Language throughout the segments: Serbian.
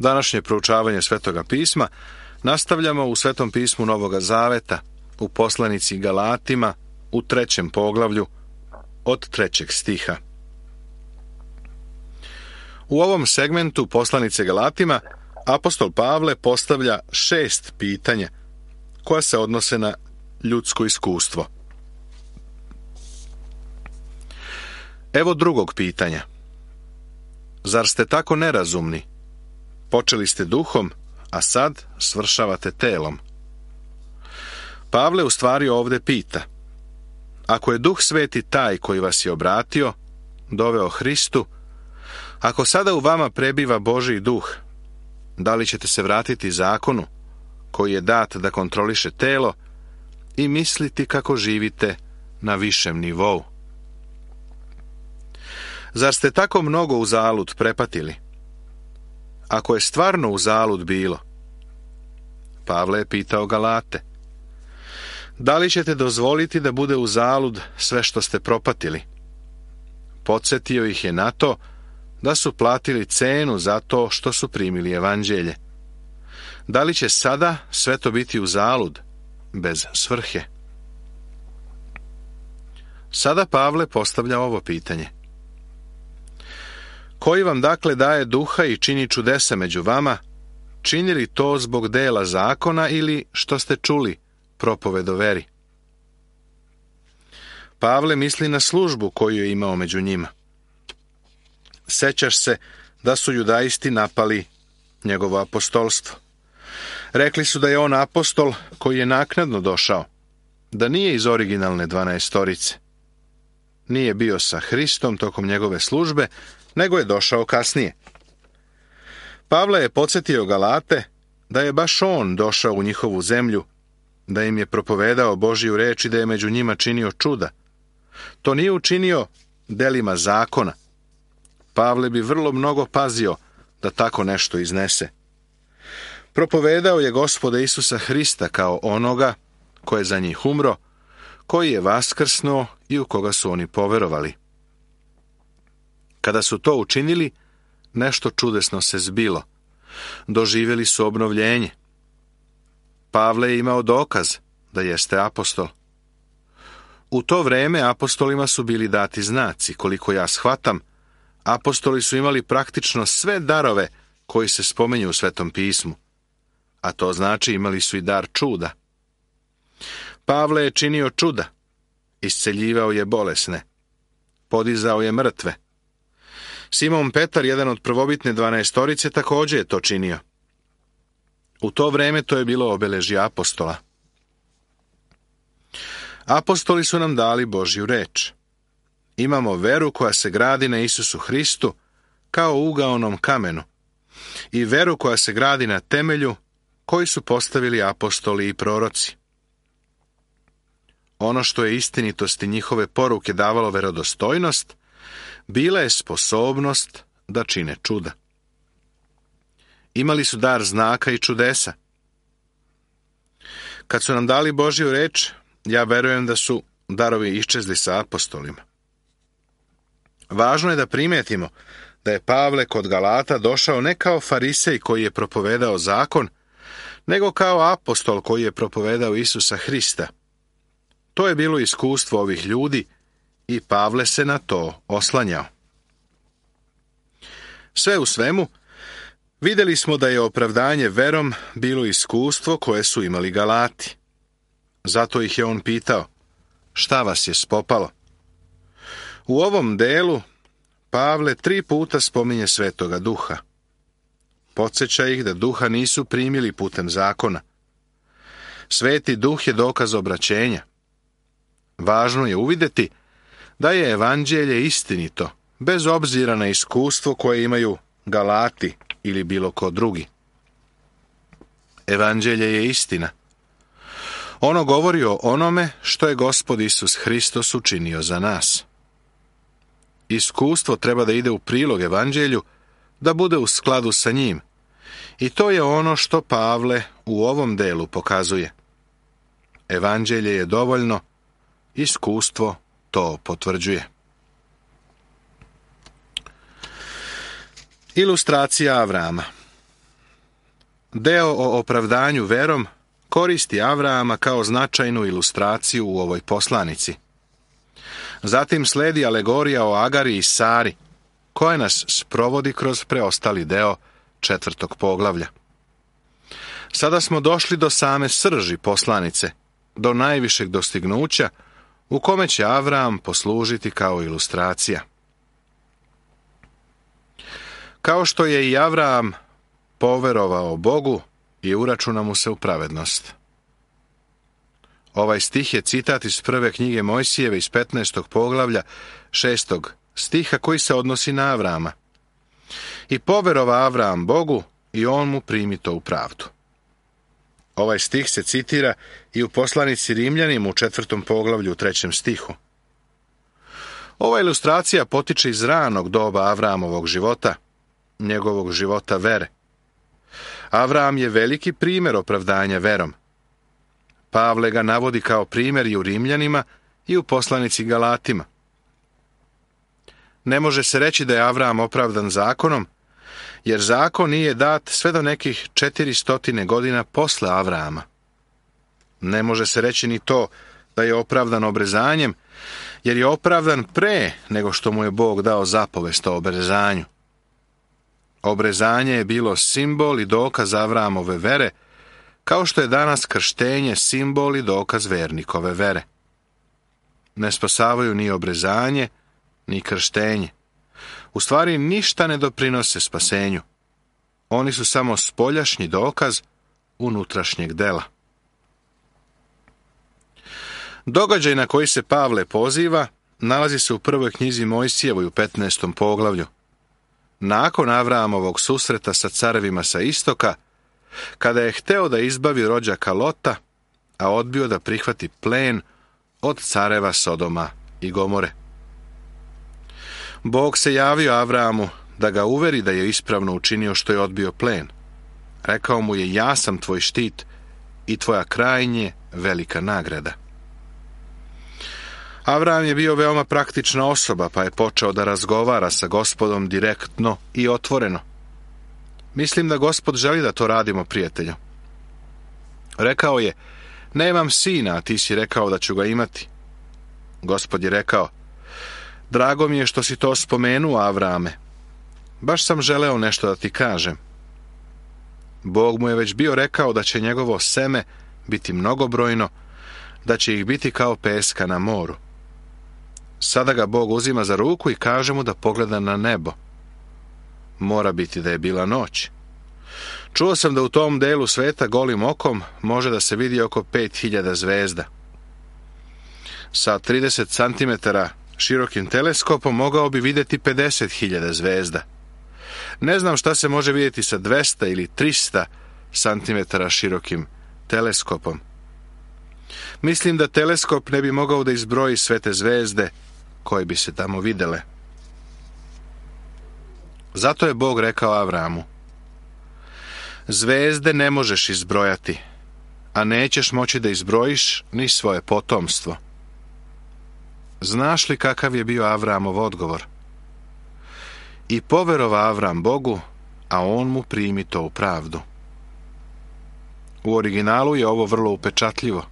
Današnje proučavanje Svetoga pisma nastavljamo u Svetom pismu Novoga Zaveta, u poslanici Galatima, u 3. poglavlju, od 3. stiha. U ovom segmentu poslanice Galatima apostol Pavle postavlja 6 pitanja koja se odnose na ljudsko iskustvo. Evo drugog pitanja. Zar ste tako nerazumni? Počeli ste duhom, a sad svršavate telom. Pavle u stvari ovdje pita: ako je Duh Sveti taj koji vas je obratio, doveo Hristu, ako sada u vama prebiva Božji duh, da li ćete se vratiti zakonu koji je dat da kontroliše telo i misliti kako živite na višem nivou? Zar ste tako mnogo uzalud prepatili? Ako je stvarno uzalud bilo, Pavle je pitao Galate, da li ćete dozvoliti da bude uzalud sve što ste propatili? Podsjetio ih je na to da su platili cenu za to što su primili evanđelje. Da li će sada sve to biti uzalud, bez svrhe? Sada Pavle postavlja ovo pitanje: koji vam dakle daje duha i čini čudesa među vama, čini li to zbog dela zakona ili što ste čuli propoved o veri? Pavle misli na službu koju je imao među njima. Sećaš se da su judaisti napali njegovo apostolstvo. Rekli su da je on apostol koji je naknadno došao, da nije iz originalne 12-torice. Nije bio sa Hristom tokom njegove službe, nego je došao kasnije. Pavle je podsjetio Galate da je baš on došao u njihovu zemlju, da im je propovedao Božju reč i da je među njima činio čuda. To nije učinio delima zakona. Pavle bi vrlo mnogo pazio da tako nešto iznese. Propovedao je Gospoda Isusa Hrista kao onoga ko je za njih umro, koji je vaskrsnuo i u koga su oni poverovali. Kada su to učinili, nešto čudesno se zbilo. Doživjeli su obnovljenje. Pavle je imao dokaz da jeste apostol. U to vreme apostolima su bili dati znaci. Koliko ja shvatam, apostoli su imali praktično sve darove koji se spominju u Svetom pismu. A to znači imali su i dar čuda. Pavle je činio čuda. Isceljivao je bolesne. Podizao je mrtve. Simon Petar, jedan od prvobitne 12-torice, također je to činio. U to vreme to je bilo obeležje apostola. Apostoli su nam dali Božju reč. Imamo veru koja se gradi na Isusu Hristu kao ugaonom kamenu i veru koja se gradi na temelju koji su postavili apostoli i proroci. Ono što je istinitosti njihove poruke davalo verodostojnost, bila je sposobnost da čine čuda. Imali su dar znaka i čudesa. Kad su nam dali Božju reč, ja verujem da su darovi iščezli sa apostolima. Važno je da primetimo da je Pavle kod Galata došao ne kao farisej koji je propovedao zakon, nego kao apostol koji je propovedao Isusa Hrista. To je bilo iskustvo ovih ljudi i Pavle se na to oslanjao. Sve u svemu, vidjeli smo da je opravdanje verom bilo iskustvo koje su imali Galati. Zato ih je on pitao: šta vas je spopalo? U ovom delu Pavle 3 puta spominje Svetoga Duha. Podsjeća ih da Duha nisu primili putem zakona. Sveti Duh je dokaz obraćenja. Važno je uvidjeti da je evanđelje istinito, bez obzira na iskustvo koje imaju Galati ili bilo ko drugi. Evanđelje je istina. Ono govori o onome što je Gospod Isus Hristos učinio za nas. Iskustvo treba da ide u prilog evanđelju, da bude u skladu sa njim. I to je ono što Pavle u ovom delu pokazuje. Evanđelje je dovoljno, iskustvo to potvrđuje. Ilustracija Avrama. Deo o opravdanju verom koristi Avrama kao značajnu ilustraciju u ovoj poslanici. Zatim sledi alegorija o Agari i Sari, koja nas sprovodi kroz preostali deo 4. poglavlja. Sada smo došli do same srži poslanice, do najvišeg dostignuća, u kome će Avram poslužiti kao ilustracija. Kao što je i Avram poverovao Bogu i uračuna mu se u pravednost. Ovaj stih je citat iz prve knjige Mojsijeve iz 15. poglavlja 6. stiha koji se odnosi na Avrama. I poverova Avram Bogu i on mu primi to u pravdu. Ovaj stih se citira i u poslanici Rimljanima u 4. poglavlju u 3. stihu. Ova ilustracija potiče iz ranog doba Avramovog života, njegovog života vere. Avram je veliki primjer opravdanja verom. Pavle ga navodi kao primjer i u Rimljanima i u poslanici Galatima. Ne može se reći da je Avram opravdan zakonom, jer zakon nije dat sve do nekih 400 godina posle Avrama. Ne može se reći ni to da je opravdan obrezanjem, jer je opravdan pre nego što mu je Bog dao zapovest o obrezanju. Obrezanje je bilo simbol i dokaz Avramove vere, kao što je danas krštenje simbol i dokaz vernikove vere. Ne spasavaju ni obrezanje, ni krštenje. U stvari ništa ne doprinose spasenju. Oni su samo spoljašnji dokaz unutrašnjeg dela. Događaj na koji se Pavle poziva nalazi se u prvoj knjizi Mojsijevoj u 15. poglavlju. Nakon Avramovog susreta sa carevima sa istoka, kada je hteo da izbavi rođaka Lota, a odbio da prihvati plen od careva Sodoma i Gomore. Bog se javio Avramu da ga uveri da je ispravno učinio što je odbio plen. Rekao mu je: ja sam tvoj štit i tvoja krajnje velika nagrada. Avram je bio veoma praktična osoba, pa je počeo da razgovara sa Gospodom direktno i otvoreno. Mislim da Gospod želi da to radimo, prijatelju. Rekao je: nemam sina, a ti si rekao da ću ga imati. Gospod je rekao: drago mi je što si to spomenuo, Avrame. Baš sam želeo nešto da ti kažem. Bog mu je već bio rekao da će njegovo seme biti mnogobrojno, da će ih biti kao peska na moru. Sada ga Bog uzima za ruku i kaže mu da pogleda na nebo. Mora biti da je bila noć. Čuo sam da u tom delu sveta golim okom može da se vidi oko 5000 zvezda. Sa 30 cm širokim teleskopom mogao bi vidjeti 50.000 zvezda. Ne znam šta se može vidjeti sa 200 ili 300 cm širokim teleskopom. Mislim da teleskop ne bi mogao da izbroji sve te zvezde koje bi se tamo videle. Zato je Bog rekao Avramu: zvezde ne možeš izbrojati, a nećeš moći da izbrojiš ni svoje potomstvo. Znaš li kakav je bio Avramov odgovor? I poverova Avram Bogu, a on mu primi to u pravdu. U originalu je ovo vrlo upečatljivo.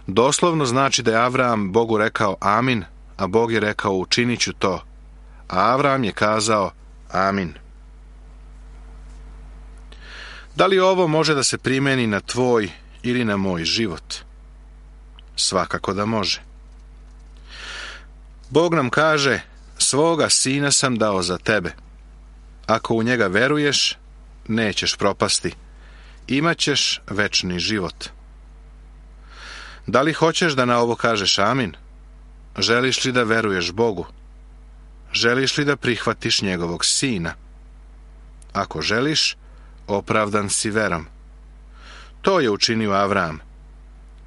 Doslovno znači da je Avram Bogu rekao amin, a Bog je rekao učinit ću to, a Avram je kazao amin. Da li ovo može da se primeni na tvoj ili na moj život? Svakako da može. Bog nam kaže: svoga sina sam dao za tebe. Ako u njega veruješ, nećeš propasti. Imaćeš večni život. Da li hoćeš da na ovo kažeš amin? Želiš li da veruješ Bogu? Želiš li da prihvatiš njegovog sina? Ako želiš, opravdan si verom. To je učinio Avram.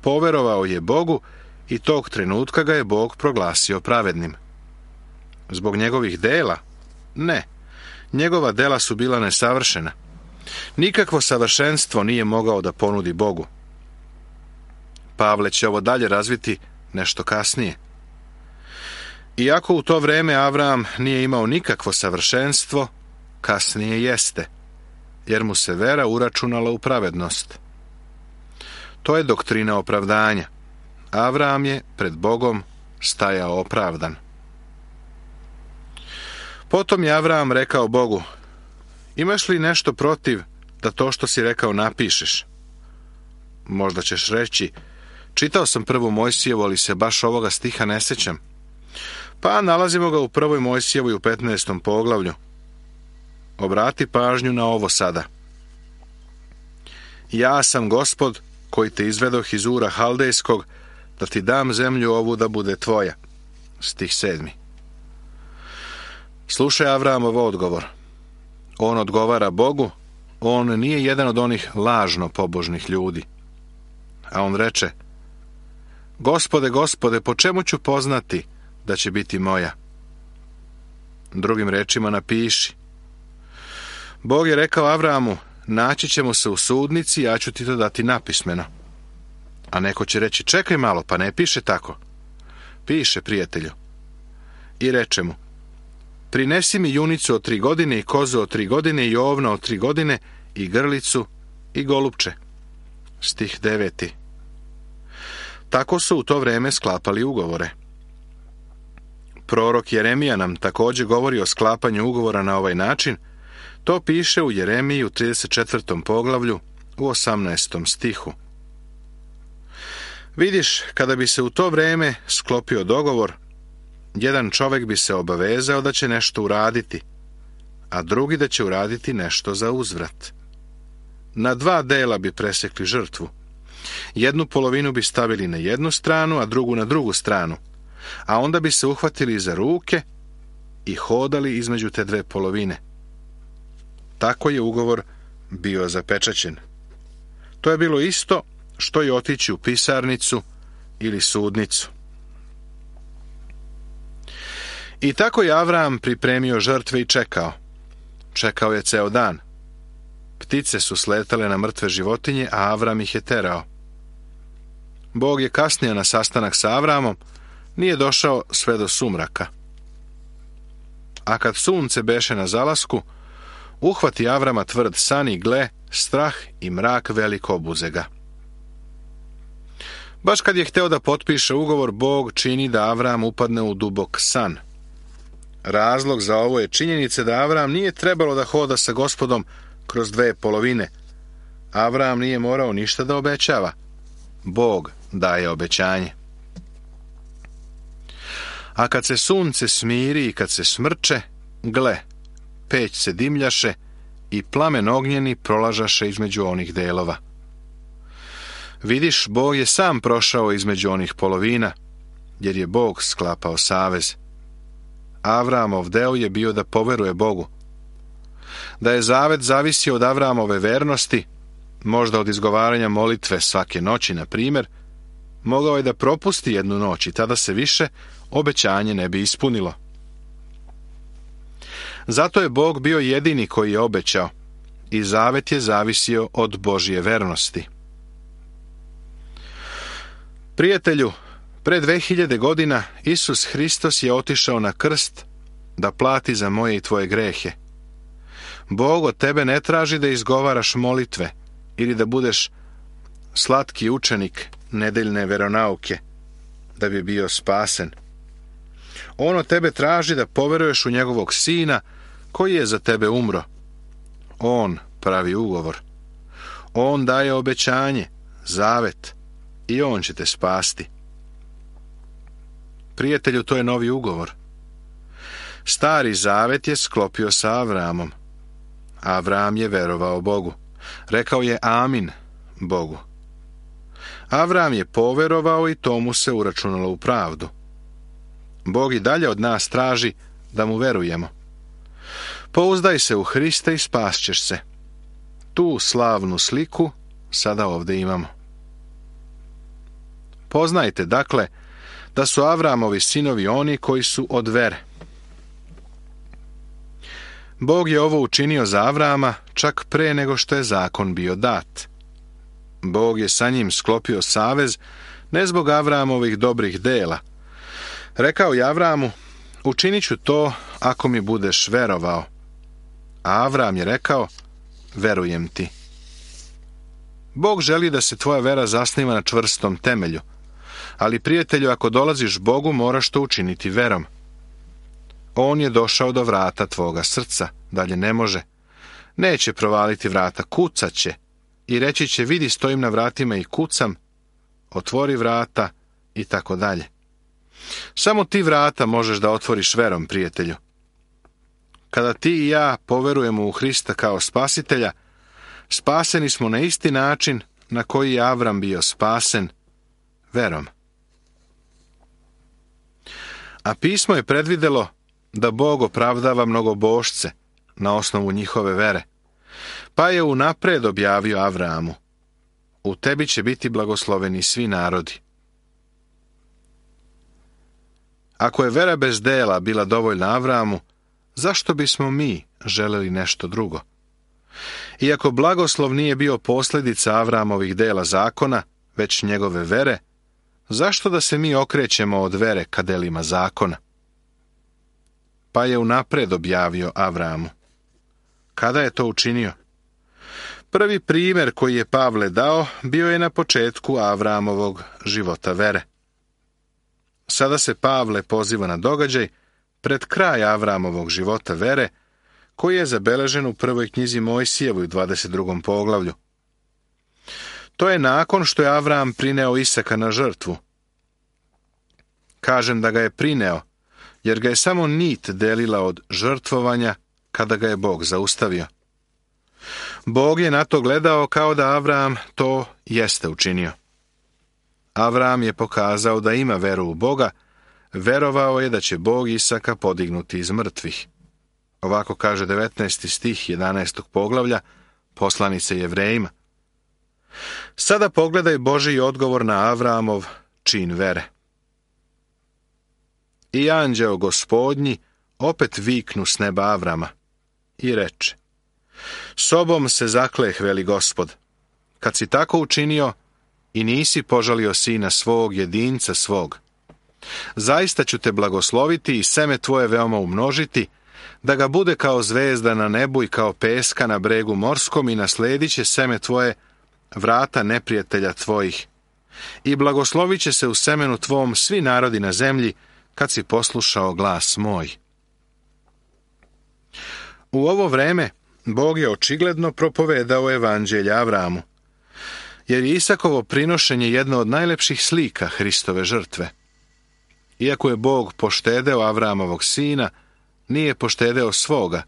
Poverovao je Bogu i tog trenutka ga je Bog proglasio pravednim. Zbog njegovih dela? Ne. Njegova dela su bila nesavršena. Nikakvo savršenstvo nije mogao da ponudi Bogu. Pavle će ovo dalje razviti nešto kasnije. Iako u to vreme Avram nije imao nikakvo savršenstvo, kasnije jeste. jer mu se vera uračunala u pravednost. To je doktrina opravdanja. Avram je pred Bogom stajao opravdan. Potom je Avram rekao Bogu: imaš li nešto protiv da to što si rekao napišeš? Možda ćeš reći: čitao sam prvu Mojsijevu, ali se baš ovoga stiha ne sjećam. Pa nalazimo ga u prvoj Mojsijevoj u 15. poglavlju. Obrati pažnju na ovo sada. Ja sam Gospod koji te izvedoh iz Ura Haldejskog, da ti dam zemlju ovu da bude tvoja. Stih 7. Slušaj Avramov odgovor. On odgovara Bogu, on nije jedan od onih lažno pobožnih ljudi. A on reče: Gospode, Gospode, po čemu ću poznati da će biti moja? Drugim rečima napiši. Bog je rekao Avramu: naći ćemo se u sudnici, ja ću ti to dati napismeno. A neko će reći: čekaj malo, pa ne piše tako. Piše, prijatelju. I reče mu: prinesi mi junicu od 3 godine i kozu od 3 godine i ovna od 3 godine i grlicu i golupče. Stih 9. Tako su u to vrijeme sklapali ugovore. Prorok Jeremija nam također govori o sklapanju ugovora na ovaj način. To piše u Jeremiji u 34. poglavlju u 18. stihu. Vidiš, kada bi se u to vrijeme sklopio dogovor, jedan čovjek bi se obavezao da će nešto uraditi, a drugi da će uraditi nešto za uzvrat. Na 2 dela bi presekli žrtvu. Jednu polovinu bi stavili na jednu stranu, a drugu na drugu stranu, a onda bi se uhvatili za ruke i hodali između te 2 polovine. Tako je ugovor bio zapečaćen. To je bilo isto što je otići u pisarnicu ili sudnicu. I tako je Avram pripremio žrtve i čekao. Čekao je ceo dan. Ptice su sletale na mrtve životinje, a Avram ih je terao. Bog je kasnio na sastanak sa Avramom, nije došao sve do sumraka. A kad sunce beše na zalasku, uhvati Avrama tvrd san i gle, strah i mrak velik obuze ga. Baš kad je hteo da potpiše ugovor, Bog čini da Avram upadne u dubok san. Razlog za ovo je činjenica da Avram nije trebalo da hoda sa Gospodom kroz 2 polovine. Avram nije morao ništa da obećava. Bog daje obećanje. A kad se sunce smiri i kad se smrče, gle, peć se dimljaše i plamen ognjeni prolažaše između onih delova. Vidiš, Bog je sam prošao između onih polovina, jer je Bog sklapao savez. Avramov deo je bio da poveruje Bogu. Da je zavet zavisio od Avramove vernosti, možda od izgovaranja molitve svake noći, na primjer, mogao je da propusti jednu noć i tada se više obećanje ne bi ispunilo. Zato je Bog bio jedini koji je obećao i zavet je zavisio od Božje vernosti. Prijatelju, pred 2000 godina Isus Hristos je otišao na krst da plati za moje i tvoje grehe. Bog od tebe ne traži da izgovaraš molitve ili da budeš slatki učenik nedeljne veronauke da bi bio spasen. On od tebe traži da poveruješ u njegovog sina koji je za tebe umro. On pravi ugovor. On daje obećanje, zavet i on će te spasti. Prijatelju, to je novi ugovor. Stari zavet je sklopio sa Avramom. Avram je verovao Bogu. Rekao je amin Bogu. Avram je poverovao i to mu se uračunalo u pravdu. Bog i dalje od nas traži da mu verujemo. Pouzdaj se u Hrista i spasćeš se. Tu slavnu sliku sada ovdje imamo. Poznajte, dakle, da su Avramovi sinovi oni koji su od vere. Bog je ovo učinio za Avrama čak pre nego što je zakon bio dat. Bog je sa njim sklopio savez ne zbog Avramovih dobrih dela. Rekao je Avramu: učinit ću to ako mi budeš verovao. A Avram je rekao: verujem ti. Bog želi da se tvoja vera zasniva na čvrstom temelju, ali prijatelju, ako dolaziš Bogu, moraš to učiniti verom. On je došao do vrata tvoga srca, dalje ne može. Neće provaliti vrata, kucat će i reći će, vidi, stojim na vratima i kucam, otvori vrata i tako dalje. Samo ti vrata možeš da otvoriš verom, prijatelju. Kada ti i ja poverujemo u Hrista kao spasitelja, spaseni smo na isti način na koji je Avram bio spasen, verom. A pismo je predvidelo da Bog opravdava mnogobošce na osnovu njihove vere, pa je unapred objavio Avramu, u tebi će biti blagosloveni svi narodi. Ako je vera bez dela bila dovoljna Avramu, zašto bismo mi želeli nešto drugo? Iako blagoslov nije bio posljedica Avramovih dela zakona, već njegove vere, zašto da se mi okrećemo od vere ka delima zakona? Pa je unapred objavio Avramu. Kada je to učinio? Prvi primjer koji je Pavle dao bio je na početku Avramovog života vere. Sada se Pavle poziva na događaj pred kraj Avramovog života vere, koji je zabeležen u prvoj knjizi Mojsijevoj u 22. poglavlju. To je nakon što je Avram prineo Isaka na žrtvu. Kažem da ga je prineo, jer ga je samo nit delila od žrtvovanja kada ga je Bog zaustavio. Bog je na to gledao kao da Avram to jeste učinio. Avram je pokazao da ima veru u Boga, verovao je da će Bog Isaka podignuti iz mrtvih. Ovako kaže 19. stih 11. poglavlja poslanice Jevrejima. Sada pogledaj Božji odgovor na Avramov čin vere. I anđeo Gospodnji opet viknu s neba Avrama i reče: Sobom se zakleh, veli Gospod, kad si tako učinio i nisi požalio sina svog, jedinca svog. Zaista ću te blagosloviti i seme tvoje veoma umnožiti, da ga bude kao zvezda na nebu i kao peska na bregu morskom, i nasledit će seme tvoje vrata neprijatelja tvojih. I blagoslovit će se u semenu tvom svi narodi na zemlji, kad si poslušao glas moj. U ovo vreme Bog je očigledno propovedao evanđelje Avramu, jer je Isakovo prinošenje jedno od najlepših slika Hristove žrtve. Iako je Bog poštedeo Avramovog sina, nije poštedeo svoga,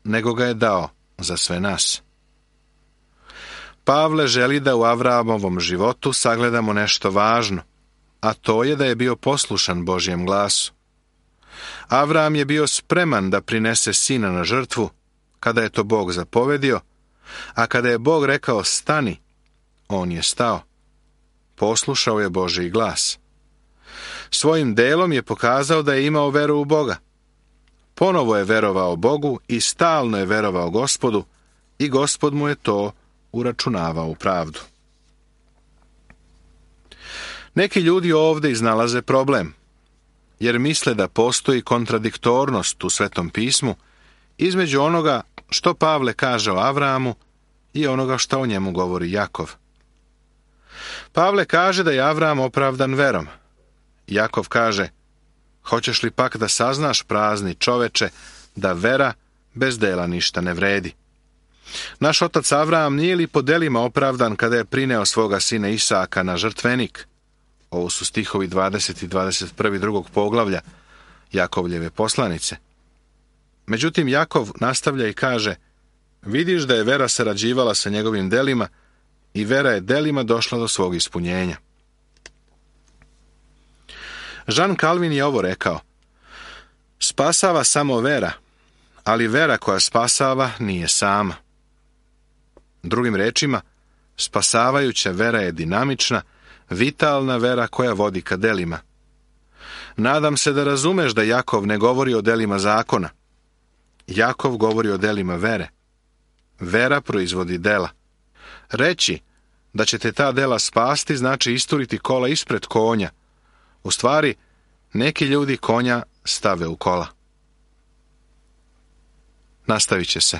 nego ga je dao za sve nas. Pavle želi da u Avramovom životu sagledamo nešto važno, a to je da je bio poslušan Božjem glasu. Avram je bio spreman da prinese sina na žrtvu, kada je to Bog zapovedio, a kada je Bog rekao stani, on je stao. Poslušao je Božji glas. Svojim delom je pokazao da je imao veru u Boga. Ponovo je verovao Bogu i stalno je verovao Gospodu, i Gospod mu je to uračunavao u pravdu. Neki ljudi ovdje iznalaze problem, jer misle da postoji kontradiktornost u Svetom pismu između onoga što Pavle kaže o Avramu i onoga što o njemu govori Jakov. Pavle kaže da je Avram opravdan verom. Jakov kaže: hoćeš li pak da saznaš, prazni čoveče, da vera bez dela ništa ne vredi? Naš otac Avram nije li po delima opravdan kada je prineo svoga sina Isaka na žrtvenik? Ovo su stihovi 20 i 21. drugog poglavlja Jakovljeve poslanice. Međutim, Jakov nastavlja i kaže: vidiš da je vera sarađivala sa njegovim delima i vera je delima došla do svog ispunjenja. Jean Calvin je ovo rekao: spasava samo vera, ali vera koja spasava nije sama. Drugim rečima, spasavajuća vera je dinamična, vitalna vera koja vodi ka delima. Nadam se da razumeš da Jakov ne govori o delima zakona. Jakov govori o delima vere. Vera proizvodi dela. Reći da će te ta dela spasti znači isturiti kola ispred konja. U stvari, neki ljudi konja stave u kola. Nastavit će se.